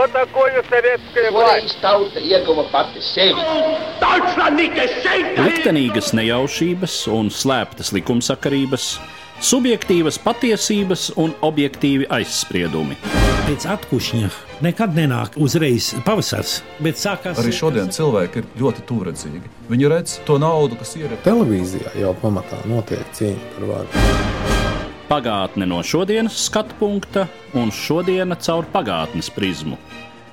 Что такое советская власть? Liktenīgas nejaušības un slēptas likumsakarības, subjektīvas patiesības un objektīvi aizspriedumi. Pēc atkušņa nekad nenāk uzreiz pavasars, bet sākās... Arī šodien cilvēki ir ļoti tūredzīgi. Viņi redz to naudu, kas ir... Televīzijā jau pamatā notiek cīņa par varu. Pagātne no šodienas skatu punkta un šodiena caur pagātnes prizmu.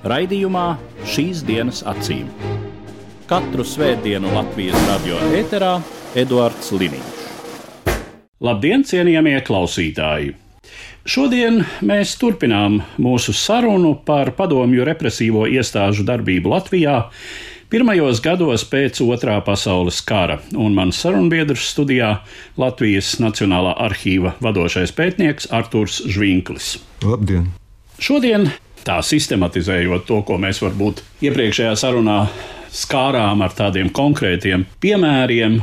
Raidījumā Šīs dienas acīm. Katru svētdienu Latvijas radio ēterā Eduards Liniņš. Labdien, cienījamie klausītāji! Šodien mēs turpinām mūsu sarunu par padomju represīvo iestāžu darbību Latvijā pirmajos gados pēc Otrā pasaules kara, un mans sarunbiedrs studijā Latvijas Nacionālā arhīva vadošais pētnieks Arturs Žvinklis. Labdien! Šodien, tā sistematizējot to, ko mēs varbūt iepriekšējā sarunā skārām ar tādiem konkrētiem piemēriem,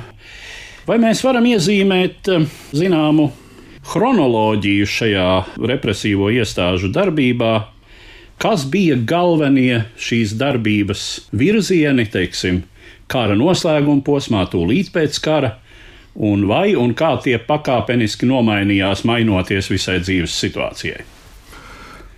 vai mēs varam iezīmēt zināmu chronoloģiju šajā represīvo iestāžu darbībā, kas bija galvenie šīs darbības virzieni, teiksim, kara noslēguma posmā, tūlīt pēc kara, un vai un kā tie pakāpeniski nomainījās, mainoties visai dzīves situācijai?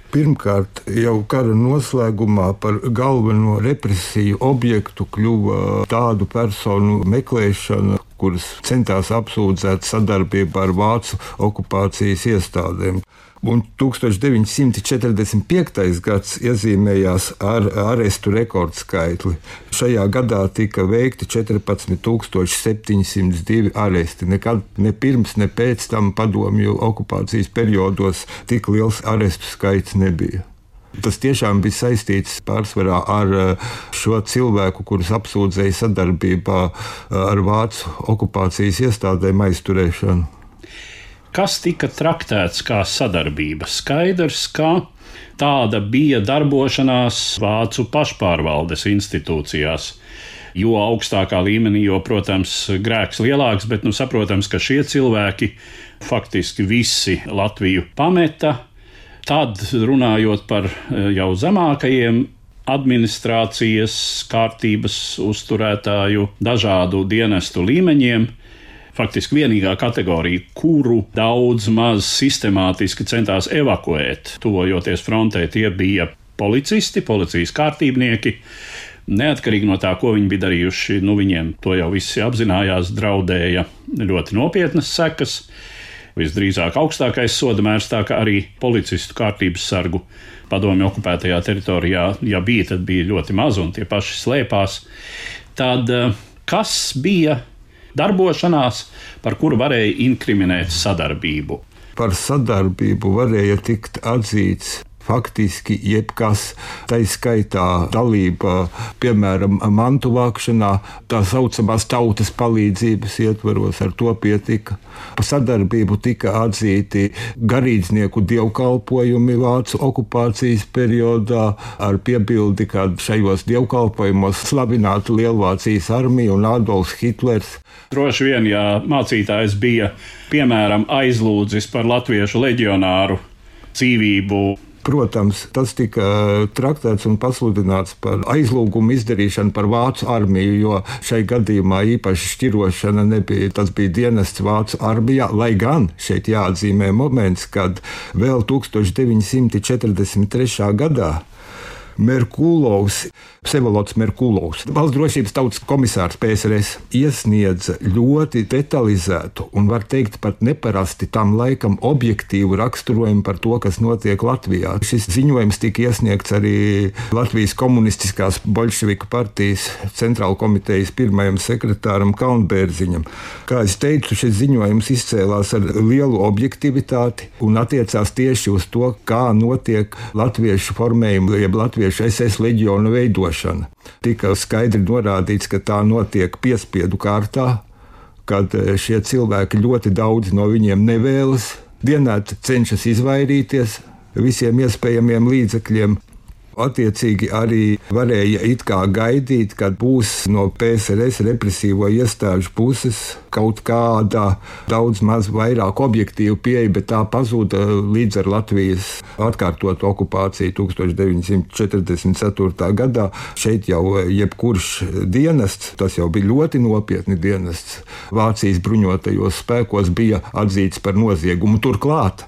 Pirmkārt, jau kara noslēgumā par galveno represiju objektu kļuva tādu personu meklēšana, kuras centās apsūdzēt sadarbībā ar vācu okupācijas iestādēm. Un 1945. gads iezīmējās ar arestu rekordskaitli. Šajā gadā tika veikti 14,702 aresti. Nekad ne pirms, ne pēc tam padomju okupācijas periodos tik liels arestu skaits nebija. Tas tiešām bija saistīts pārsvarā ar šo cilvēku, kurus apsūdzēja sadarbībā ar vācu okupācijas iestādēm aizturēšanu. Kas tika traktēts kā sadarbība? Skaidrs, ka tāda bija darbošanās vācu pašpārvaldes institūcijās. Jo augstākā līmenī, jo, protams, grēks lielāks, bet saprotams, ka šie cilvēki faktiski visi Latviju pameta. Tad, runājot par jau zemākajiem administrācijas kārtības uzturētāju dažādu dienestu līmeņiem, faktiski vienīgā kategorija, kuru daudz maz sistemātiski centās evakuēt, tuvojoties frontē, tie bija policisti, policijas kārtībnieki. Neatkarīgi no tā, ko viņi bija darījuši, viņiem to jau visi apzinājās, draudēja ļoti nopietnas sekas. Visdrīzāk augstākais sodamērs, tā kā arī policistu kārtības sargu padomju okupētajā teritorijā, ja bija, tad bija ļoti maz un tie paši slēpās. Tad kas bija darbošanās, par kuru varēja inkriminēt sadarbību? Par sadarbību varēja tikt atzīts faktiski jebkas, tai skaitā dalība, piemēram, mantu vākšanā, tā saucamās tautas palīdzības ietvaros, ar to pietika. Pa sadarbību tika atzīti garīdznieku dievkalpojumi vācu okupācijas periodā, ar piebildi, ka šajos dievkalpojumos slavināta Lielvācijas armija un Adolfs Hitlers. Droši vien, ja mācītājs bija, piemēram, aizlūdzis par latviešu leģionāru dzīvību, protams, tas tika traktēts un pasludināts par aizlūgumu izdarīšanu par vācu armiju, jo šai gadījumā īpaši šķirošana nebija. Tas bija dienests vācu armijā, lai gan šeit jāatzīmē moments, kad vēl 1943. gadā Merkulovs, Vsevolods Merkulovs, valsts drošības tautas komisārs PSRS, iesniedza ļoti detalizētu un, var teikt, pat neparasti tam laikam objektīvu raksturojumu par to, kas notiek Latvijā. Šis ziņojums tika iesniegts arī Latvijas komunistiskās bolševiku partijas centrāla komitejas pirmajam sekretāram Kalnbērziņam. Kā es teicu, šis ziņojums izcēlās ar lielu objektivitāti un attiecās tieši uz to, kā notiek latviešu formējuma, jeb latviešu SS leģionu veidošana. Tika skaidri norādīts, ka tā notiek piespiedu kārtā, kad šie cilvēki ļoti daudz no viņiem nevēlas, dienēt cenšas izvairīties visiem iespējamiem līdzekļiem. Attiecīgi arī varēja it kā gaidīt, kad būs no PSRS represīvo iestāžu puses kaut kāda daudz maz vairāk objektīva pieeja, bet tā pazuda līdz ar Latvijas atkārtotu okupāciju 1944. gadā. Šeit jau jebkurš dienests, tas jau bija ļoti nopietni dienests, Vācijas bruņotajos spēkos bija atzīts par noziegumu. Turklāt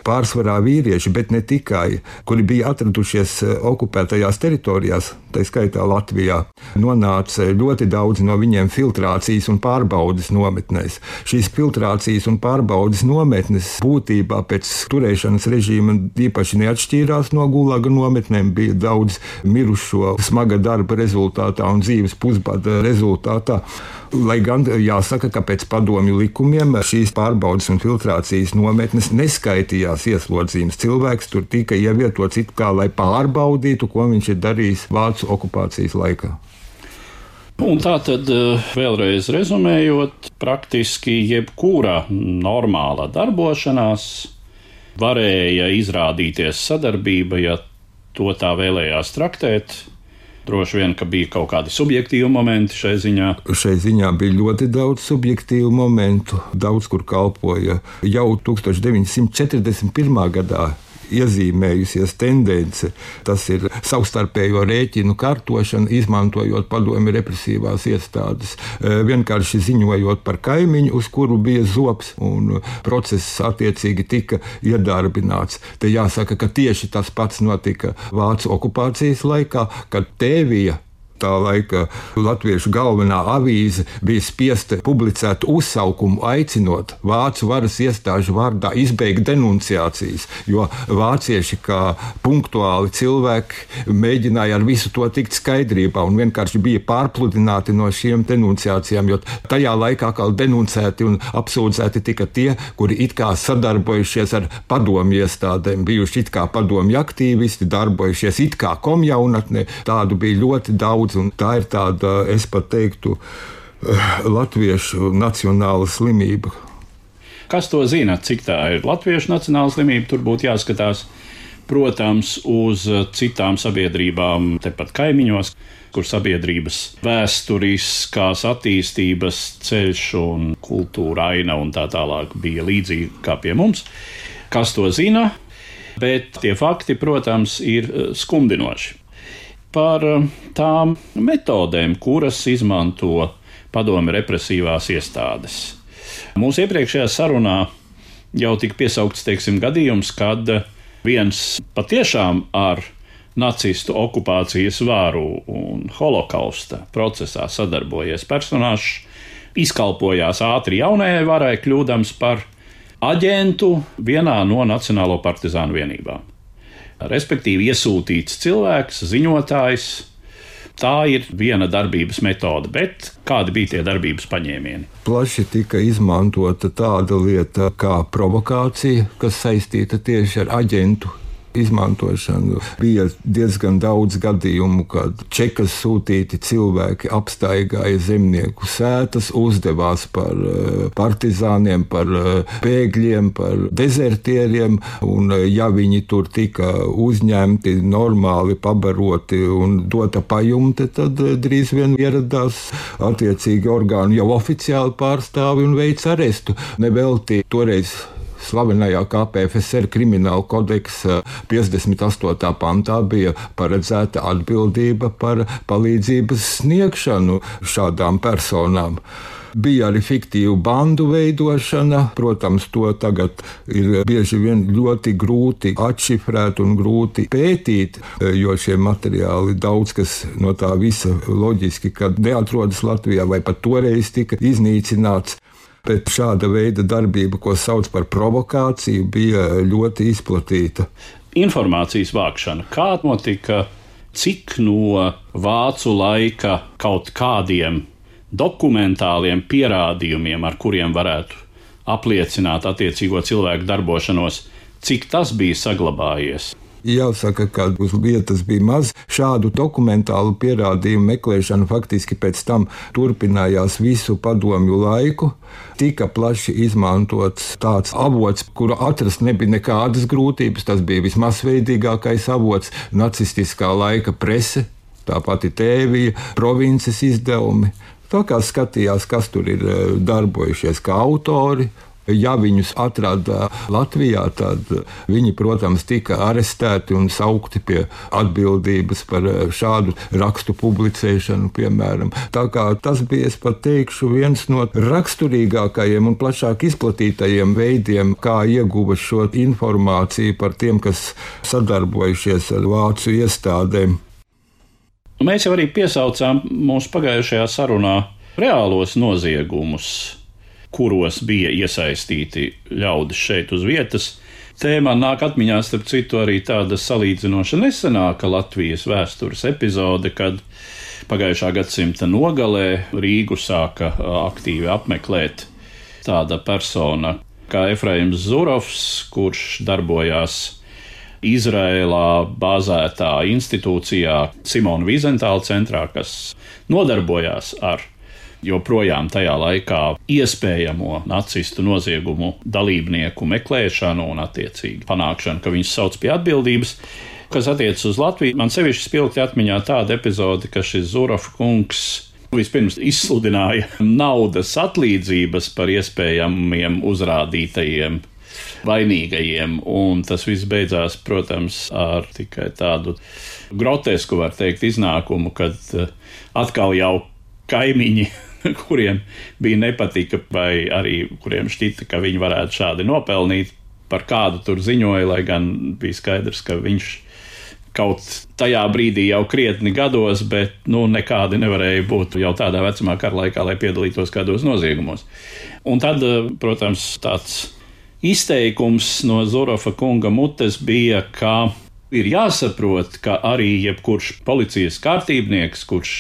pārsvarā vīrieši, bet ne tikai, kuri bija atradušies okupētajās teritorijās, tā skaitā Latvijā, nonāca ļoti daudz no viņiem filtrācijas un pārbaudes nometnēs. Šīs filtrācijas un pārbaudes nometnes būtībā pēc turēšanas režīma īpaši neatšķīrās no gulaga nometnēm, bija daudz mirušo smaga darba rezultātā un dzīves pusbada rezultātā. Lai gan jāsaka, ka pēc padomju likumiem šīs pārbaudes un filtrācijas nometnes neskaitījās ieslodzījums. Cilvēks tur tika ievietots it kā, lai pārbaudītu, ko viņš ir darījis vācu okupācijas laikā. Un tā tad vēlreiz rezumējot, praktiski jebkura normāla darbošanās varēja izrādīties sadarbība, ja to tā vēlējās traktēt. Droši vien, ka bija kaut kādi subjektīvi momenti šai ziņā. Šai ziņā bija ļoti daudz subjektīvu momentu. Daudz kur kalpoja jau 1941. gadā iezīmējusies tendence. Tas ir savstarpējo rēķinu kartošana, izmantojot padomju represīvās iestādes. Vienkārši ziņojot par kaimiņu, uz kuru bija zobs, un process attiecīgi tika iedarbināts. Te jāsaka, ka tieši tas pats notika Vācu okupācijas laikā, kad Tēvija, tā laika latviešu galvenā avīze, bija spiesta publicēt uzsaukumu, aicinot vācu varas iestāžu vārdā izbeigt denunciācijas, jo vācieši kā punktuāli cilvēki mēģināja ar visu to tikt skaidrībā un vienkārši bija pārpludināti no šiem denunciācijām, jo tajā laikā kā denuncēti un apsūdzēti tika tie, kuri it kā sadarbojušies ar padomju iestādēm, bijuši it kā padomju aktīvisti, darbojušies it kā komjaunatnē, tādu bija ļoti daudz. Un tā ir tāda, es pat teiktu, latviešu nacionāla slimība. Kas to zina, cik tā ir latviešu nacionāla slimība? Tur būtu jāskatās, protams, uz citām sabiedrībām tepat kaimiņos, kur sabiedrības vēsturiskās attīstības ceļš un kultūra aina un tā tālāk bija līdzīgi kā pie mums. Kas to zina? Bet tie fakti, protams, ir skumdinoši. Par tām metodēm, kuras izmanto padomju represīvās iestādes. Mūsu iepriekšējā sarunā jau tika piesaukts, gadījums, kad viens patiešām ar nacistu okupācijas varu un holokausta procesā sadarbojies personāžs izkalpojās ātri jaunajai varai, kļūdams par aģentu vienā no Nacionālo partizānu vienībām. Respektīvi iesūtīts cilvēks, ziņotājs. Tā ir viena darbības metode, bet kādi bija tie darbības paņēmieni? Plaši tika izmantota tāda lieta kā provokācija, kas saistīta tieši ar aģentu izmantošanu. Bija diezgan daudz gadījumu, kad čekas sūtīti cilvēki apstaigāja zemnieku sētas, uzdevās par partizāniem, par bēgļiem, par dezertieriem, un ja viņi tur tika uzņemti, normāli pabaroti un dota pajumte, tad drīz vien ieradās attiecīgi orgānu jau oficiāli pārstāvi un veic arestu. Nevelti toreiz slavenajā KPFSR krimināla kodeksa 58. pantā bija paredzēta atbildība par palīdzības sniegšanu šādām personām. Bija arī fiktīva bandu veidošana. Protams, to tagad ir bieži vien ļoti grūti atšifrēt un grūti pētīt, jo šie materiāli daudz kas no tā visa loģiski, kad neatrodas Latvijā vai pat toreiz tika iznīcināts. Bet šāda veida darbība, ko sauc par provokāciju, bija ļoti izplatīta. Informācijas vākšana. Kā notika, cik no vācu laika kaut kādiem dokumentāliem pierādījumiem, ar kuriem varētu apliecināt attiecīgo cilvēku darbošanos, cik tas bija saglabājies? Jāsaka, ka uz vietas bija maz šādu dokumentālu pierādījumu meklēšana. Faktiski pēc tam turpinājās visu padomju laiku. Tika plaši izmantots tāds avots, kuru atrast nebija nekādas grūtības. Tas bija vismasveidīgākais avots - nacistiskā laika prese, tā pati tēvija, provinces izdevumi. Tā kā skatījās, kas tur ir darbojušies kā autori. Ja viņus atrada Latvijā, tad viņi, protams, tika arestēti un saukti pie atbildības par šādu rakstu publicēšanu, piemēram. Tā kā tas bija, es pat teikšu, viens no raksturīgākajiem un plašāk izplatītajiem veidiem, kā ieguva šo informāciju par tiem, kas sadarbojušies ar vācu iestādēm. Mēs jau arī piesaucām mūsu pagājušajā sarunā reālos noziegumus, kuros bija iesaistīti ļaudis šeit uz vietas. Tēmā nāk atmiņā, starp citu, arī tāda salīdzinoša nesenāka Latvijas vēstures epizode, kad pagājušā gadsimta nogalē Rīgu sāka aktīvi apmeklēt tāda persona kā Efraims Zurovs, kurš darbojās Izrēlā bāzētā institūcijā Simona Vizentāla centrā, kas nodarbojās ar joprojām tajā laikā iespējamo nacistu noziegumu dalībnieku meklēšanu un attiecīgi panākšanu, ka viņus sauc pie atbildības. Kas attiecas uz Latviju, man sevišķi spilgti atmiņā tāda epizode, ka šis Zurova kungs vispirms izsludināja naudas atlīdzības par iespējamiem uzrādītajiem vainīgajiem, un tas viss beidzās, protams, ar tikai tādu grotesku, var teikt, iznākumu, kad atkal jau kaimiņi, kuriem bija nepatika, vai arī kuriem šķita, ka viņi varētu šādi nopelnīt, par kādu tur ziņoja, lai gan bija skaidrs, ka viņš kaut tajā brīdī jau krietni gados, bet nekādi nevarēja būt jau tādā vecumā kara laikā, lai piedalītos kādos noziegumos. Un tad, protams, tāds izteikums no Zurova kunga mutes bija, ka ir jāsaprot, ka arī jebkurš policijas kārtībnieks, kurš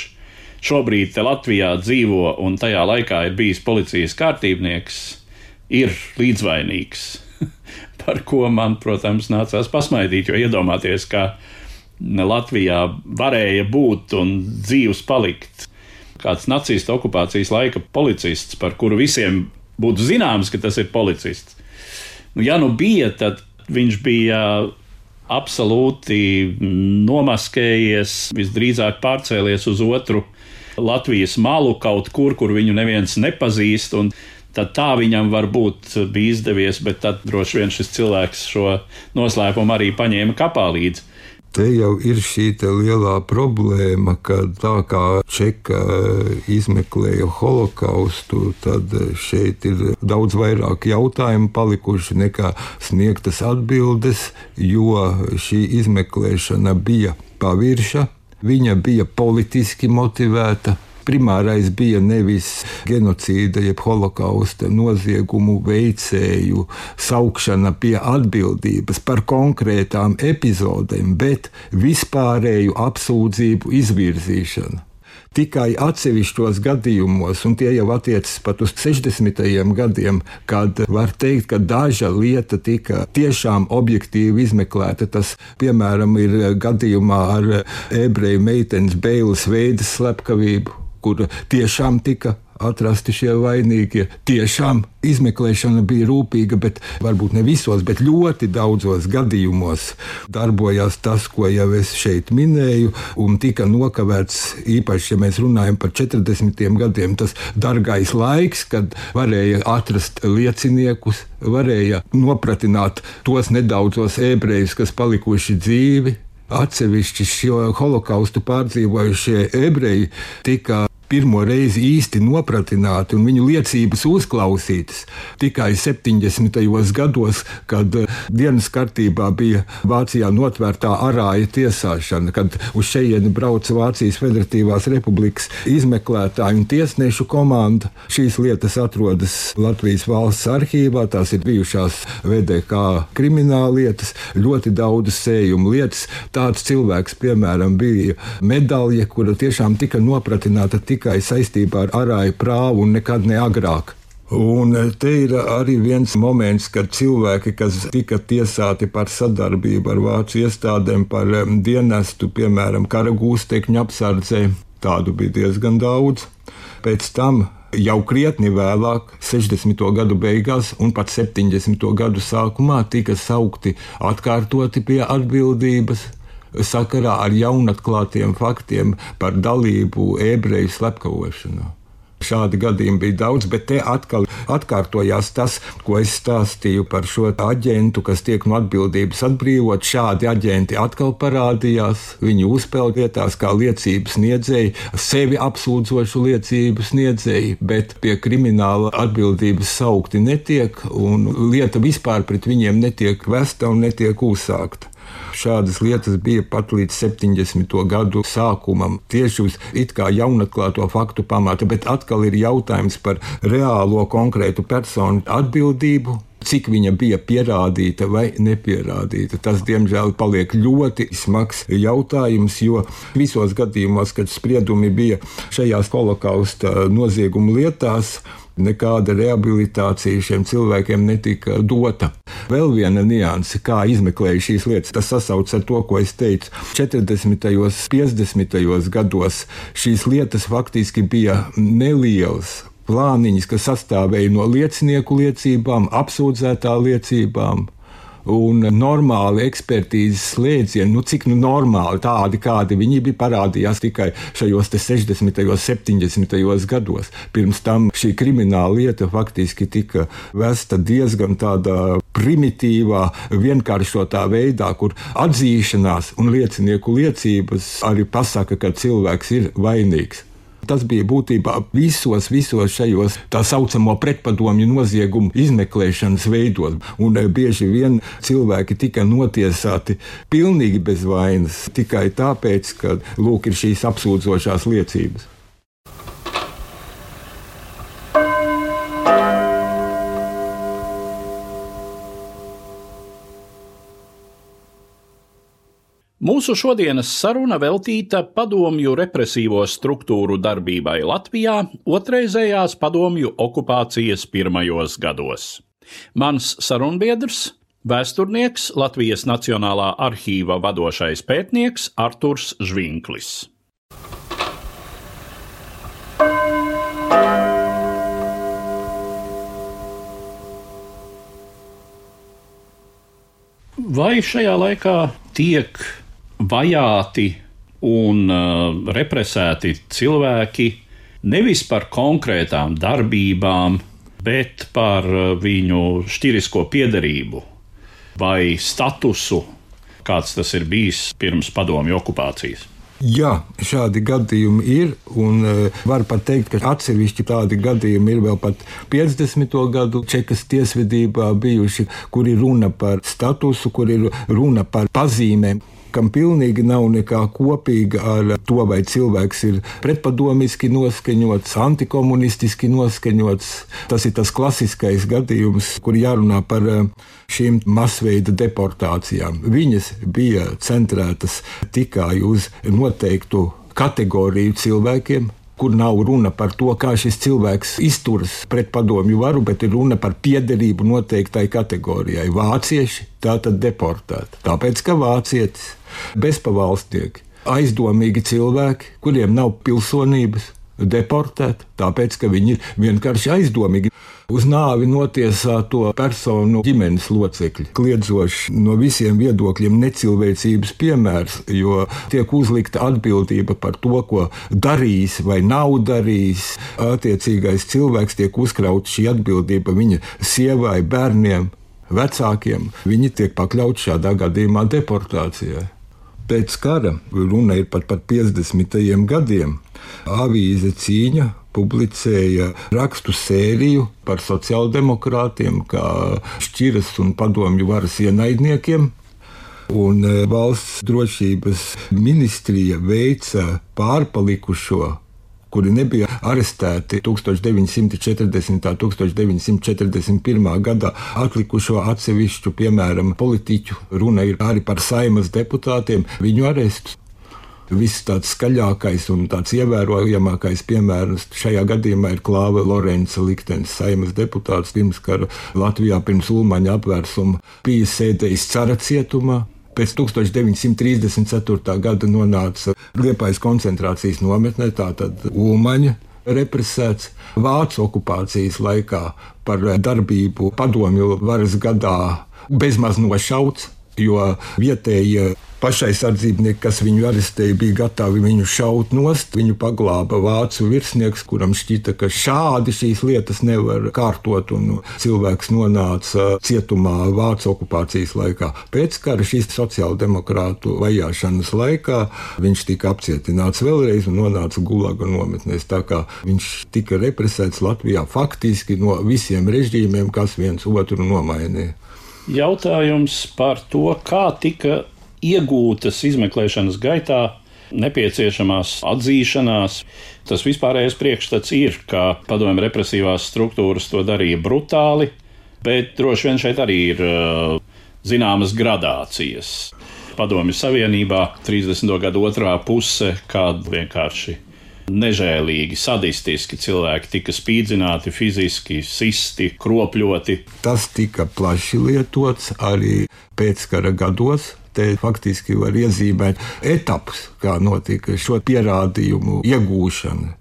šobrīd te Latvijā dzīvo un tajā laikā ir bijis policijas kārtībnieks, ir līdzvainīgs. Par ko man, protams, nācās pasmaidīt, jo iedomāties, ka Latvijā varēja būt un dzīvs palikt kāds nacistu okupācijas laika policists, par kuru visiem būtu zināms, ka tas ir policists. Ja bija, tad viņš bija absolūti nomaskējies, visdrīzāk pārcēlies uz otru Latvijas malu kaut kur viņu neviens nepazīst, un tad tā viņam varbūt bija izdevies, bet tad droši vien šis cilvēks šo noslēpumu arī paņēma kapā līdzi. Te jau ir šī lielā problēma, ka tā kā Čeka izmeklēja holokaustu, tad šeit ir daudz vairāk jautājumu palikuši nekā sniegtas atbildes, jo šī izmeklēšana bija pavirša, viņa bija politiski motivēta. Primārais bija nevis genocīda, jeb holokausta noziegumu veicēju saukšana pie atbildības par konkrētām epizodēm, bet vispārēju apsūdzību izvirzīšana. Tikai atsevišķos gadījumos, un tie jau attiecas pat uz 60. gadiem, kad var teikt, ka daža lieta tika tiešām objektīvi izmeklēta. Tas, piemēram, ir gadījumā ar ebreju meitenes Beilas veidas slepkavību, kur tiešām tika atrasti šie vainīgie. Tiešām izmeklēšana bija rūpīga, bet varbūt ne visos, bet ļoti daudzos gadījumos darbojās tas, ko jau es šeit minēju, un tika nokavēts, īpaši, ja mēs runājam par 40. gadiem, tas dargais laiks, kad varēja atrast lieciniekus, varēja nopratināt tos nedaudzos ebrejus, kas palikuši dzīvi. Atsevišķi šo holokaustu pārdzīvojušie ebreji tika pirmo reizi īsti nopratināti un viņu liecības uzklausītas tikai 70. gados, kad dienas kārtībā bija Vācijā notvērtā arāja tiesāšana, kad uz šejieni brauca Vācijas Federatīvās Republikas izmeklētāju un tiesnešu komanda. Šīs lietas atrodas Latvijas valsts arhīvā, tās ir bijušās VDK krimināllietas, ļoti daudz sējumu lietas. Tāds cilvēks, piemēram, bija medalja, kura tiešām tika nopratināta tikai saistībā ar arāju prāvu un nekad ne agrāk. Un te ir arī viens moments, kad cilvēki, kas tika tiesāti par sadarbību ar vācu iestādēm, par dienestu, piemēram, kara gūstekņu apsardzē, tādu bija diezgan daudz. Pēc tam jau krietni vēlāk, 60. gadu beigās un pat 70. gadu sākumā tika saukti atkārtoti pie atbildības sakarā ar jaunatklātiem faktiem par dalību ebreju slepkavošanā. Šādi gadījumi bija daudz, bet te atkal atkārtojās tas, ko es stāstīju par šo aģentu, kas tiek no atbildības atbrīvot. Šādi aģenti atkal parādījās, viņi uzpeld vietās kā liecības sniedzēji, sevi apsūdzošu liecības sniedzēji, bet pie krimināla atbildības saukti netiek, un lieta vispār pret viņiem netiek vesta un netiek uzsākta. Šādas lietas bija pat līdz 70. gadu sākumam, tieši uz it kā jaunatklāto faktu pamata, bet atkal ir jautājums par reālo konkrētu personu atbildību, cik viņa bija pierādīta vai nepierādīta. Tas, diemžēl, paliek ļoti smags jautājums, jo visos gadījumos, kad spriedumi bija šajās holokausta noziegumu lietās, nekāda rehabilitācija šiem cilvēkiem netika dota. Vēl viena nianse, kā izmeklēja šīs lietas, tas sasauc ar to, ko es teicu. 40. un 50. gados šīs lietas faktiski bija nelielas plāniņas, kas sastāvēja no liecinieku liecībām, apsūdzētā liecībām un normāli ekspertīzes slēdzieni, cik normāli tādi, kādi viņi bija, parādījās tikai šajos 60. un 70. gados. Pirms tam šī krimināla lieta faktiski tika vesta diezgan tādā primitīvā, vienkāršotā veidā, kur atzīšanās un liecinieku liecības arī pasaka, ka cilvēks ir vainīgs. Tas bija būtībā visos šajos tā saucamo pretpadomju noziegumu izmeklēšanas veidos. Un bieži vien cilvēki tika notiesāti pilnīgi bez vainas, tikai tāpēc, ka lūk ir šīs apsūdzošās liecības. Mūsu šodienas saruna veltīta padomju represīvo struktūru darbībai Latvijā otrreizējās padomju okupācijas pirmajos gados. Mans sarunbiedrs, vēsturnieks, Latvijas Nacionālā arhīva vadošais pētnieks Arturs Žvinklis. Vai šajā laikā tiek vajāti un represēti cilvēki nevis par konkrētām darbībām, bet par viņu šķirisko piederību vai statusu, kāds tas ir bijis pirms padomju okupācijas? Jā, šādi gadījumi ir, un var pat teikt, ka atsevišķi tādi gadījumi ir vēl pat 50. gadu Čekas tiesvedībā bijuši, kur ir runa par statusu, kur ir runa par pazīmēm, kam pilnīgi nav nekā kopīga ar to, vai cilvēks ir pretpadomiski noskaņots, antikomunistiski noskaņots. Tas ir tas klasiskais gadījums, kur jārunā par šīm masveida deportācijām. Viņas bija centrētas tikai uz noteiktu kategoriju cilvēkiem, kur nav runa par to, kā šis cilvēks izturas pret padomju varu, bet ir runa par piederību noteiktai kategorijai. Vācieši tātad deportēti, tāpēc, ka vācietis, bezpavalstnieki, aizdomīgi cilvēki, kuriem nav pilsonības, deportēti, tāpēc, ka viņi ir vienkārši aizdomīgi. Uz nāvi notiesāto personu ģimenes locekļi, kliedzoši no visiem viedokļiem necilvēcības piemērs, jo tiek uzlikta atbildība par to, ko darījis vai nav darījis. Attiecīgais cilvēks tiek uzkrauts šī atbildība viņa sievai, bērniem, vecākiem. Viņi tiek pakļauti šādā gadījumā deportācijai. Pēc kara, runa ir pat par 50. gadiem, avīze Cīņa publicēja rakstu sēriju par sociāldemokrātiem, kā šķiras un padomju varas ienaidniekiem, un valsts drošības ministrija veica pārpalikušo, kuri nebija arestēti 1940. un 1941. gadā atlikušo atsevišķu, piemēram, politiķu, runa ir arī par Saimas deputātiem, viņu arestus. Viss tāds skaļākais un tāds ievērojamākais piemērs šajā gadījumā ir Klāva Lorenca liktenis, Saeimas deputāts pirmskara Latvijā pirms Ulmaņa apvērsuma bija sēdējis Cara cietumā. Pēc 1934. gada nonāca Liepājas koncentrācijas nometnē, tātad Ulmaņa represēts. Vācu okupācijas laikā par darbību padomju varas gadā bezmaz nošauts, jo vietējie pašaizsardzībnieki, kas viņu arestēja, bija gatavi viņu šaut nost. Viņu paglāba vācu virsnieks, kuram šķita, ka šādi šīs lietas nevar kārtot, un cilvēks nonāca cietumā Vācu okupācijas laikā. Pēc kara šīs sociāldemokrātu vajāšanas laikā viņš tika apcietināts vēlreiz un nonāca Gulaga nometnēs. Tā kā viņš tika represēts Latvijā faktiski no visiem režīmiem, kas viens otru nomainīja. Jautājums par to, kā tika iegūtas izmeklēšanas gaitā nepieciešamās atzīšanās. Tas vispārējais priekšstats ir, ka padomju represīvās struktūras to darīja brutāli, bet droši vien šeit arī ir zināmas gradācijas. Padomju Savienībā 30. gadu otrā puse, kad vienkārši nežēlīgi, sadistiski cilvēki tika spīdzināti, fiziski sisti, kropļoti. Tas tika plaši lietots arī pēckara gados. Te faktiski var iezīmēt etapus, kā notika šo pierādījumu iegūšana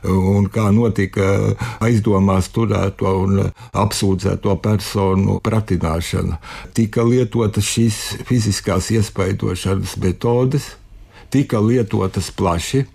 un kā notika aizdomās turēto un apsūdzēto personu pratināšana. Tika lietotas šīs fiziskās iespaidošanas metodes, tika lietotas plaši.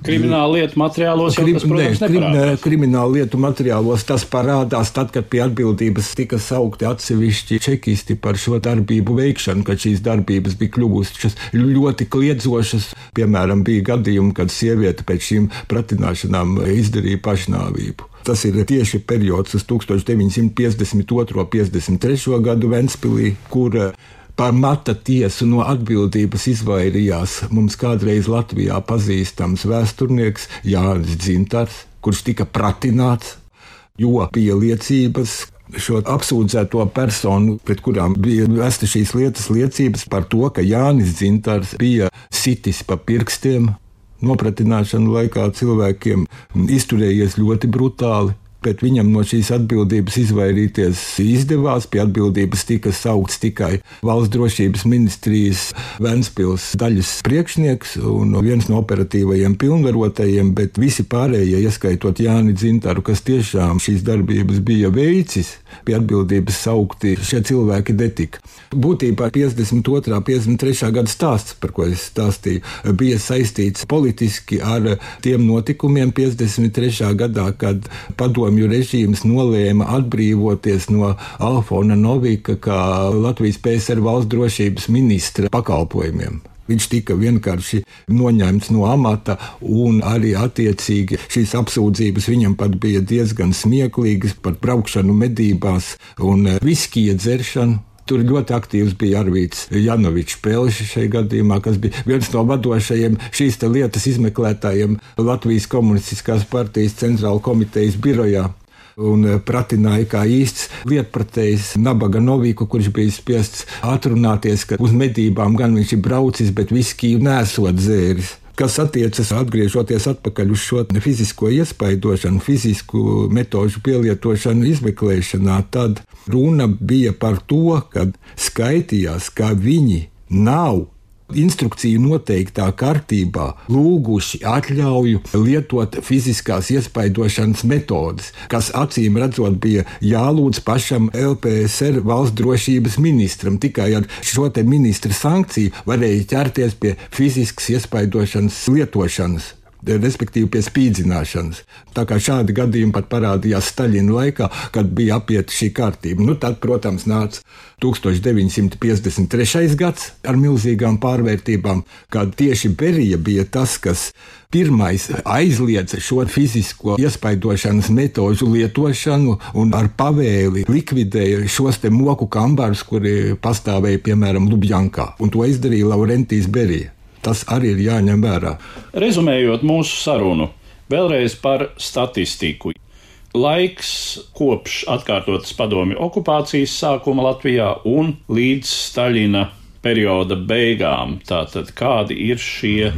Krimināla lietu materiālos jau tas, protams, neparādās. Krimināla lietu materiālos tas parādās tad, kad pie atbildības tika saukti atsevišķi čekisti par šo darbību veikšanu, kad šīs darbības bija kļuvušas ļoti kliedzošas. Piemēram, bija gadījumi, kad sieviete pēc šīm pratināšanām izdarīja pašnāvību. Tas ir tieši periods uz 1952. 53. gadu Ventspilī, kur par mata tiesu no atbildības izvairījās mums kādreiz Latvijā pazīstams vēsturnieks Jānis Dzintars, kurš tika pratināts, jo bija liecības šo apsūdzēto personu, pret kurām bija vesta šīs liecības par to, ka Jānis Dzintars bija sitis pa pirkstiem nopratināšanu laikā cilvēkiem, izturējies ļoti brutāli. Bet viņam no šīs atbildības izvairīties izdevās. Pie atbildības tika saukts tikai Valsts drošības ministrijas Ventspils daļas priekšnieks un viens no operatīvajiem pilnvarotajiem, bet visi pārējie, ieskaitot Jāni Dzintaru, kas tiešām šīs darbības bija veicis, pie atbildības saukti šie cilvēki netika. Būtībā 52. 53. gada stāsts, par ko es stāstīju, bija saistīts politiski ar tiem notikumiem 53. gadā, kad padomju režīms nolēma atbrīvoties no Alfona Novika kā Latvijas PSR valsts drošības ministra pakalpojumiem. Viņš tika vienkārši noņemts no amata, un arī attiecīgi šīs apsūdzības viņam pat bija diezgan smieklīgas par braukšanu medībās un viskija dzeršanu. Tur ļoti aktīvs bija Arvīts Janovičs Pelšs šajā gadījumā, kas bija viens no vadošajiem šīs lietas izmeklētājiem Latvijas Komunistiskās partijas centrāla komitejas birojā. Un pratināja kā īsts lietpratējs Nabaga Noviku, kurš bija spiests atrunāties, ka uz medībām gan viņš ir braucis, bet viskiju nesot dzēris. Kas attiecas, atgriežoties atpakaļ uz šo fizisko iespaidošanu, fizisku metožu pielietošanu izmeklēšanā, tad runa bija par to, ka skaitījās, ka viņi nav instrukciju noteiktā kārtībā lūguši atļauju lietot fiziskās iespaidošanas metodes, kas acīm redzot bija jālūdz pašam LPSR valsts drošības ministram. Tikai ar šo te ministra sankciju varēja ķerties pie fiziskas iespaidošanas lietošanas, respektīvi pie spīdzināšanas. Tā kā šādi gadījumi pat parādījās Staļina laikā, kad bija apieta šī kārtība. Tad, protams, nāca 1953. gads ar milzīgām pārvērtībām, kad tieši Berija bija tas, kas pirmais aizliedza šo fizisko iespaidošanas metožu lietošanu un ar pavēli likvidēja šos te moku kambarus, kuri pastāvēja, piemēram, Lubjankā. Un to izdarīja Laurentijs Berija. Tas arī ir jāņem vērā. Rezumējot mūsu sarunu, vēlreiz par statistiku. Laiks kopš atkārtotas padomju okupācijas sākuma Latvijā un līdz Staļina perioda beigām. Tātad kādi ir šie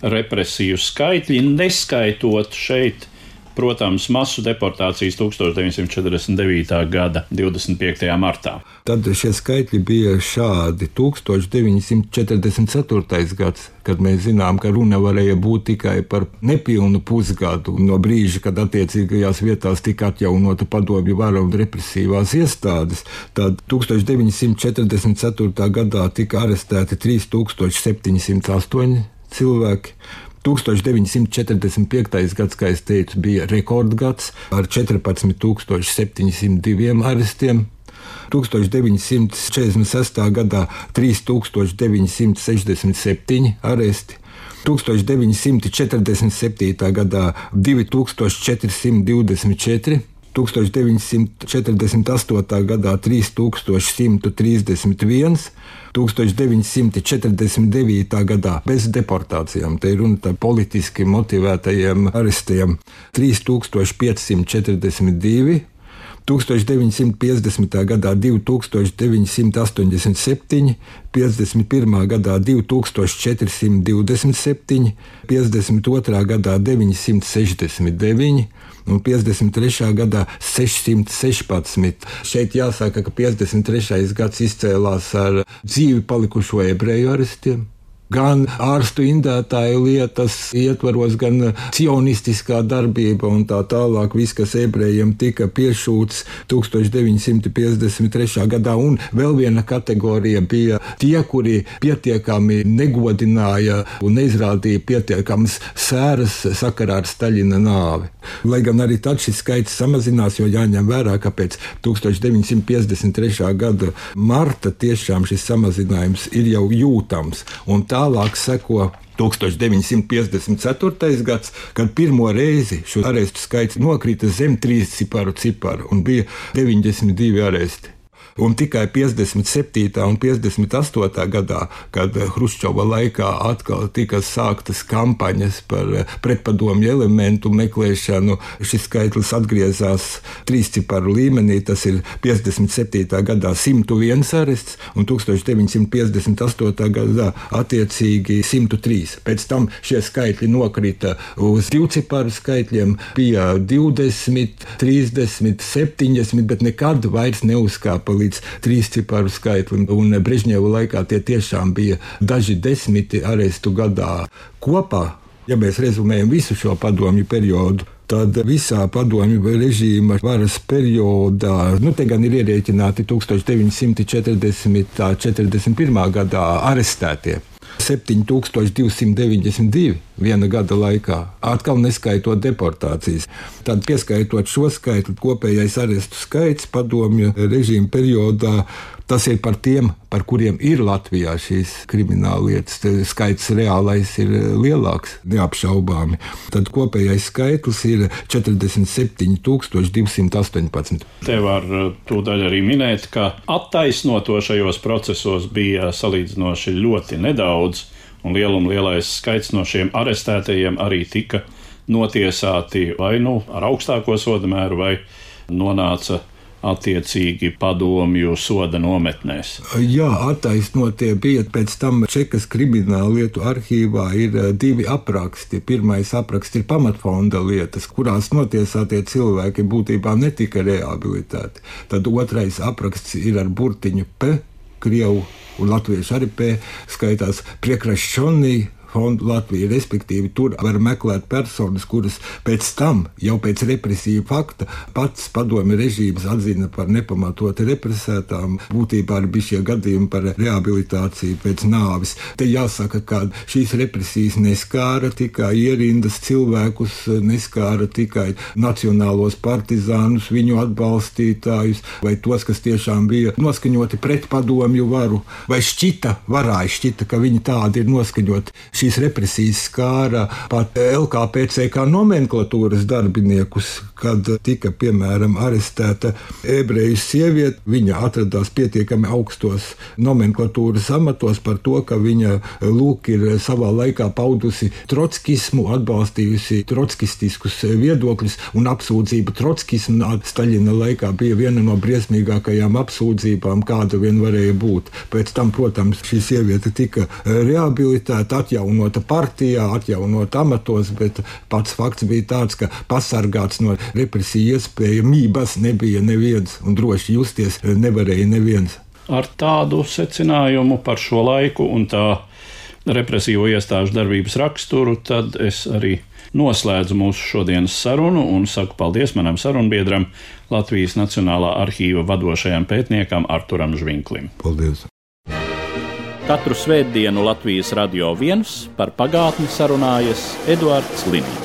represiju skaitļi, neskaitot šeit, protams, masu deportācijas 1949. gada 25. martā. Tad šie skaitļi bija šādi. 1944. gads, kad mēs zinām, ka runa varēja būt tikai par nepilnu pusgadu no brīža, kad attiecīgajās vietās tika atjaunota padomju vara un represīvās iestādes, tad 1944. gadā tika arestēti 3708 cilvēki. 1945. gads, kā es teicu, bija rekordgads ar 14,702 arestiem. 1946. gadā 3967 aresti. 1947. gadā 2424. 1948. gadā 3131, 1949. gadā bez deportācijām, te ir runa par politiski motivētajiem arestiem, 3542, 1950. gadā 2987, 51. gadā 2427, 52. gadā 969 un 53. gadā 616. Šeit jāsaka, ka 53. gads izcēlās ar dzīvi palikušo ebreju arestiem. Gan ārstu indētāju lietas ietvaros, gan cionistiskā darbība un tā tālāk. Viss, kas ebrejiem tika piešūts 1953. gadā. Un vēl viena kategorija bija tie, kuri pietiekami negodināja un neizrādīja pietiekamas sēras sakarā ar Staļina nāvi. Lai gan arī tad šis skaits samazinās, jo jāņem vērā, ka pēc 1953. gada marta tiešām šis samazinājums ir jau jūtams. Un tālāk seko 1954. gads, kad pirmo reizi šo arestu skaits nokrita zem 3 ciparu un bija 92 aresti. Un tikai 57. un 58. gadā, kad Hruščova laikā atkal tika sāktas kampaņas par pretpadomju elementu meklēšanu, šis skaitlis atgriezās 3 ciparu līmenī. Tas ir 57. gadā 101 arests un 1958. gadā attiecīgi 103. Pēc tam šie skaitļi nokrita uz 2 ciparu skaitļiem, bija 20, 30, 70, bet nekad vairs neuzkāpa līdz 3 ciparu skaitlim, un Brežņeva laikā tie tiešām bija daži desmiti arestu gadā. Kopā, ja mēs rezumējam visu šo padomju periodu, tad visā padomju režīma varas periodā, te gan ir ierēķināti 1940–41. gadā arestētie. 7292 viena gada laikā, atkal neskaitot deportācijas. Tad, pieskaitot šo skaitli, kopējais arestu skaits padomju režīma periodā, tas ir par tiem, par kuriem ir Latvijā šīs krimināllietas. Skaits reālais ir lielāks, neapšaubāmi. Tad kopējais skaitlis ir 47,218. Te var tūdaļ arī minēt, ka attaisnoto šajos procesos bija salīdzinoši ļoti nedaudz, un lielais skaits no šiem arestētajiem arī tika notiesāti vai ar augstāko soda mēru, vai nonāca attiecīgi padomju soda nometnēs. Jā, attaisnotie bija. Pēc tam Čekas krimināllietu arhīvā ir 2 apraksti. Pirmais apraksts ir pamatfonda lietas, kurās notiesātie cilvēki būtībā netika rehabilitēti. Tad otrais apraksts ir ar burtiņu P, krievu un latviešu arī P, skaitās Priekrašķonī fondu Latviju, respektīvi tur var meklēt personas, kuras pēc tam, jau pēc represiju fakta, pats padomju režīms atzina par nepamatoti represētām. Būtībā arī bija šie gadījumi par rehabilitāciju pēc nāvis. Te jāsaka, ka šīs represijas neskāra tikai ierindas cilvēkus, neskāra tikai nacionālos partizānus, viņu atbalstītājus, vai tos, kas tiešām bija noskaņoti pret padomju varu, vai šķita, ka viņi tādi ir noskaņoti. šīs represijas skāra pat LKPCK nomenklatūras darbiniekus, kad tika, piemēram, arestēta ebreju sieviete. Viņa atradās pietiekami augstos nomenklatūras amatos par to, ka viņa lūk ir savā laikā paudusi trotskismu, atbalstījusi trotskistiskus viedokļus, un apsūdzība trotskismu Staļina laikā bija viena no briesmīgākajām apsūdzībām, kāda vien varēja būt. Pēc tam, protams, šī sieviete tika rehabilitēta, atjaunota partijā, atjaunota amatos, bet pats fakts bija tāds, ka pasargāts no represiju iespējamības nebija neviens, un droši justies nevarēja neviens. Ar tādu secinājumu par šo laiku un tā represīvo iestāžu darbības raksturu, tad es arī noslēdzu mūsu šodienas sarunu un saku paldies manam sarunbiedram, Latvijas Nacionālā arhīva vadošajam pētniekam Arturam Žvinklim. Paldies! Katru svētdienu Latvijas Radio 1 par pagātni sarunājas Eduards Liniņš.